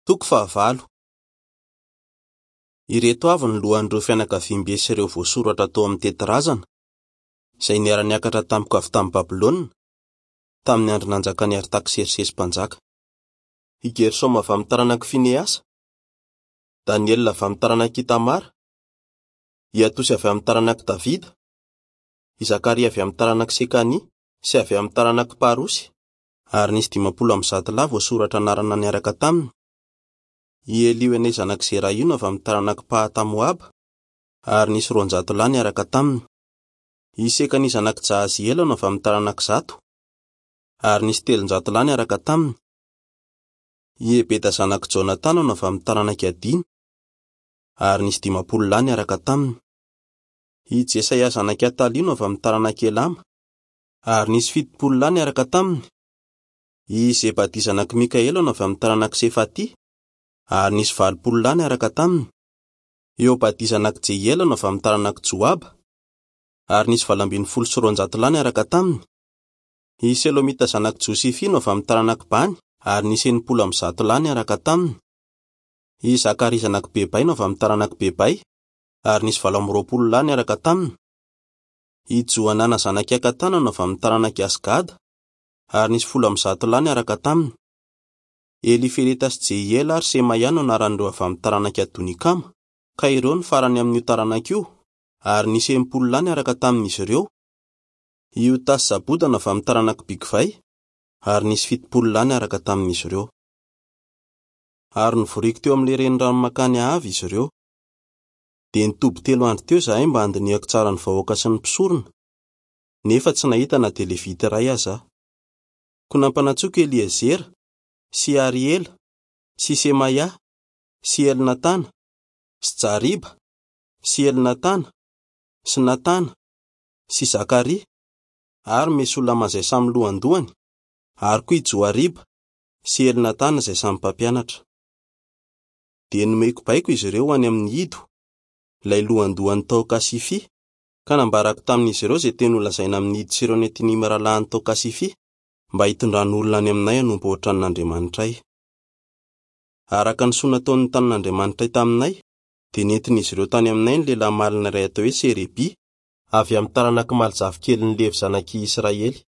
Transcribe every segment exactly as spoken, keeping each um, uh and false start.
Toko fahavalo. Ireto avy ny lohan'ireo fianakaviambe sy ireo voasoratra tao amin'ny tetirazana, izay niara-niakatra tamiko avy tamin'i Babylona, tamin'ny andro nanjakan'i Artaksersesy mpanjaka. I Gersoma avy amin'ny taranak'i Fineasa, Daniela avy amin'ny taranak'i Itamara, i Atosy avy amin'ny taranak'i Davida, i Zakaria avy amin'ny taranak'i Sekania sy avy amin'ny taranak'i Parosy, ary nisy dimampolo amby zato lahy voasoratra anarana niaraka taminy. I Elioenay zanak'i Zerahiona avy amin'ny taranak'i Pahatamoaba, ary nisy roanjato lahy niaraka taminy. I Sekania zanak'i Jahaziela no avy amin'ny taranak'i Zato, ary nisy telonjato lahy niaraka taminy. I Ebeda zanak'i Jonatana no avy amin'ny taranak'i Adina, ary nisy dimampolo lahy niaraka taminy. I Jesaia zanak'i Atalia no avy amin'ny taranak'i Elama, ary nisy fitopolo lahy niaraka taminy. I Zebadia zanak'i Mikaela no avy amin'ny taranak'i Sefatia, ary nisy valopolo lahy niaraka taminy. I Obadia zanak'i Jehiela no avy amin'ny taranak'i Joaba, ary nisy valo ambin'ny folo sy roanjato lahy niaraka taminy. I Selomita zanak'i Josifia no avy amin'ny taranak'i Bany, ary nisy enimpolo amby zato lahy niaraka taminy. I Zakaria zanak'i Bebay no avy amin'ny taranak'i Bebay, ary nisy valo amby roapolo lahy niaraka taminy. I Johanana zanak'i Akatana no avy amin'ny taranak'i Asgada, ary nisy folo amby zato lahy niaraka taminy. Elifeleta sy Jehiela ary Semaia no anaran'ireo avy amin'ny taranak'i Adonikama, ka ireo no farany amin'io taranaka io, ary nisy enimpolo lahy niaraka tamin'izy ireo. I Otasy Zaboda no avy amin'ny taranak'i Bigvay, ary nisy fitopolo lahy niaraka tamin'izy ireo. Ary novoriko teo amin'ilay renirano mankany Ahava izy ireo. Dia nitoby telo andro teo izahay mba handinihako tsara ny vahoaka sy ny mpisorona, nefa tsy nahita na dia levita iray aza aho. Koa nampanantsoiko Eliezera sy Ariela sy Semaia sy Elnatana sy Jariba sy Elnatana sy Natana sy Zakaria ary Mesolama izay samy lohandohany, ary koa i Joariba sy Elnatana izay samy mpampianatra. Dia nomeko baiko izy ireo any amin'ny Ido, ilay lohandohany tao Kasifia, ka nambarako tamin'izy ireo izay teny holazaina amin'ny Ido sy ireo Netinima rahalahiny tao Kasifia, mba hitondrany olona any aminay hanompo ao an-tranon'Andriamanitray. Araka ny soa nataon'ny tanin'Andriamanitray taminay, dia nentin'izy ireo tany aminay ny lehilahy malina iray atao hoe Serebia, avy amin'ny taranak'i Malzafikelin'i Levy zanak'i Israely.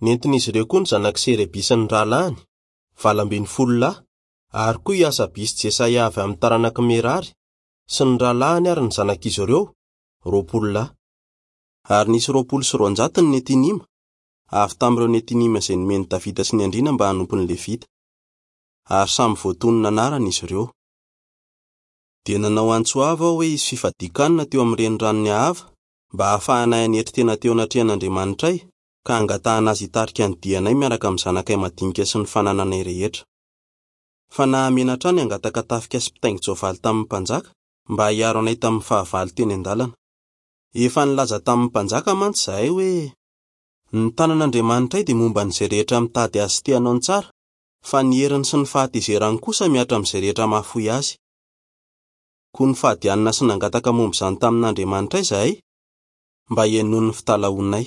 Nentin'izy ireo koa ny zanak'i Serebia sy ny rahalahiny, valo ambin'ny folo lahy, ary koa i Asabia sy Jesaia avy amin'ny taranak'i Merary, sy ny rahalahiny ary ny zanak'izy ireo, roapolo lahy. Ary nisy roapolo sy roanjato ny Netinima, avy tamin'ireo Netinima izay nomen'i Davida sy ny andriana mba hanompo ny Levita. Ary samy voatonona anarana izy ireo. Dia nanao antso avo aho hoe hisy fifadian-kanina teo amin'ny reniranon'i Ahava, mba hahafahanay hanetry tena teo anatrehan'Andriamanitray, ka hangatahana azy hitarika ny dianay miaraka amin'ny zanakay madinika sy ny fanananay rehetra. Fa nahamenatra ahy ny hangataka tafika sy mpitaingin-tsoavaly tamin'ny mpanjaka, mba hiaro anay tamin'ny fahavalo teny an-dalana. Efa nilaza tamin'ny mpanjaka mantsy izahay hoe: ny tanan'Andriamanitray dia momba an'izay rehetra mitady azy sy te hanao ny tsara, fa ny heriny sy ny fahatezerany kosa mihatra amin'izay rehetra mahafoy azy. Koa nifady hanina sy nangataka momba izany tamin'Andriamanitray izahay, mba hihainoany ny fitalahoanay.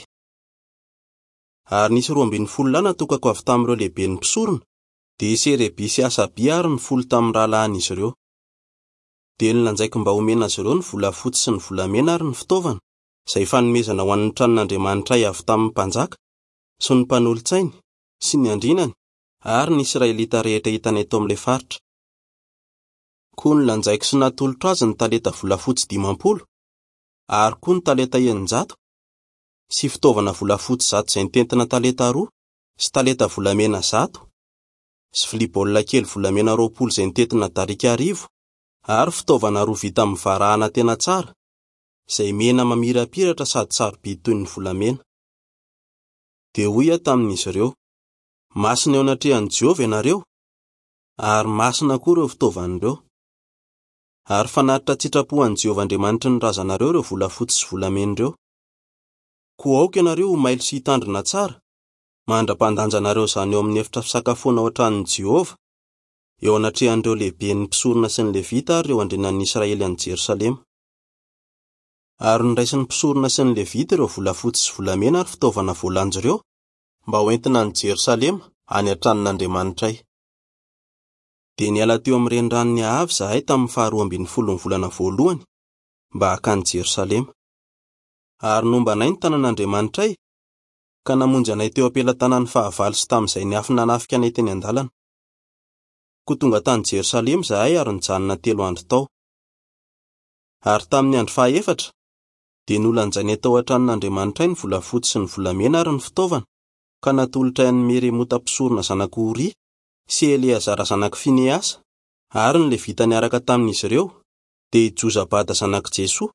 Ary nisy roa ambin'ny folo lahy natokako avy tamin'ireo lehiben'ny mpisorona, dia i Serebia sy Asabia ary ny folo tamin'ny rahalahin'izy ireo. Dia nolanjaiko mba homena azy ireo ny volafotsy sy ny volamena ary ny fitaovana, izay fanomezana ho an'ny tranon'Andriamanitray avy tamin'ny mpanjaka sy ny mpanolotsainy sy ny andrinany ary ny Israelita rehetra hitanay tao amin'ilay faritra. Koa nolanjaiko sy natolotro azy ny talenta volafotsy dimampolo, ary koa ny talenta eninjato, sy fitaovana volafotsy zato izay nitentina talenta roa, sy talenta volamena zato, sy vilia baolina kely volamena roapolo izay nitentina darika arivo, ary fitaovana roa vita amin'ny varahana tena tsara, izay mena mamirapiratra sady sarobidy toy ny volamena. Dia hoy aho tamin'izy ireo: masina eo anatrehan'i Jehovah ianareo, ary masina koa ireo fitaovana ireo. Ary fanatitra an-tsitrapo an'i Jehovah Andriamanitry ny razanareo ireo volafotsy sy volamena ireo. Koa aoka ianareo ho mailo sy hitandrina tsara, mandra-pandanjanareo izany eo amin'ny efitra fisakafoana ao an-tranon'i Jehovah, eo anatrehan'ireo lehiben'ny mpisorona sy ny Levita ary ireo andrianan'ny Israely any Jerosalema. Ary noraisin'ny mpisorona sy ny Levita ireo volafotsy sy volamena ary fitaovana voalanja ireo, mba hoentina any Jerosalema any an-tranon'Andriamanitray. Dia niala teo amin'ny reniranon'i Ahava izahay tamin'ny faharoa ambin'ny folon'ny volana voalohany mba hankany Jerosalema. Ary nomba anay ny tanan'Andriamanitray, ka namonjy anay teo am-pelatanan'ny fahavalo sy tamin'izay niafy nanafika anay teny an-dalana. Koa tonga tany Jerosalema izahay ary nijanona telo andro tao. Ary tamin'ny andro fahaefatra dia nolanjainay tao an-tranon'Andriamanitray ny volafotsy sy ny volamena ary ny fitaovana, ka natolotray an'i Meremota mpisorona zanak'i Oria sy Eleazara zanak'i Fineasa ary ny Levita niaraka tamin'izy ireo, dia i Jozabada zanak'i Jesoa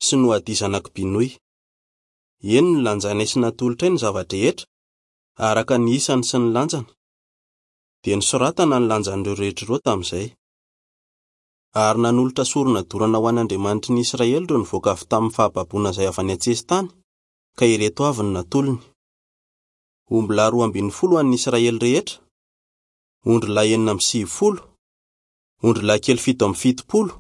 sy Noadia zanak'i Binoy. Eny nolanjainay sy natolotray ny zava-drehetra, araka ny isany sy ny lanjany. Dia nosoratana ny lanjan'ireo rehetra ireo tamin'izay. Ary nanolotra sorona dorana ho an'Andriamanitry ny Israely ireo nivoaka avy tamin'ny fahababoana izay avy any an-tsesitany, ka ireto avy no natolony: ombilahy roa ambin'ny folo ho an'ny Israely rehetra, ondrilahy enina amby sivifolo, ondrilahy kely fito amby fitopolo,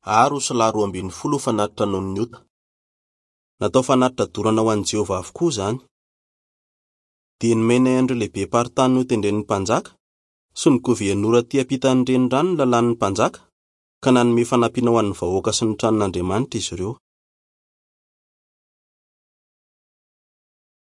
ary osilahy roa ambin'ny folo ho fanatitra noho ny ota. Natao fanatitra dorana ho an'i Jehovah avokoa izany. Dia nomenay an'ireo lehibe-paritany notendren'ny mpanjaka sy ny governora aty ampitan'ny renirano ny lalàn'ny mpanjaka, ka nanome fanampiana ho an'ny vahoaka sy ny tranon'Andriamanitra izy ireo.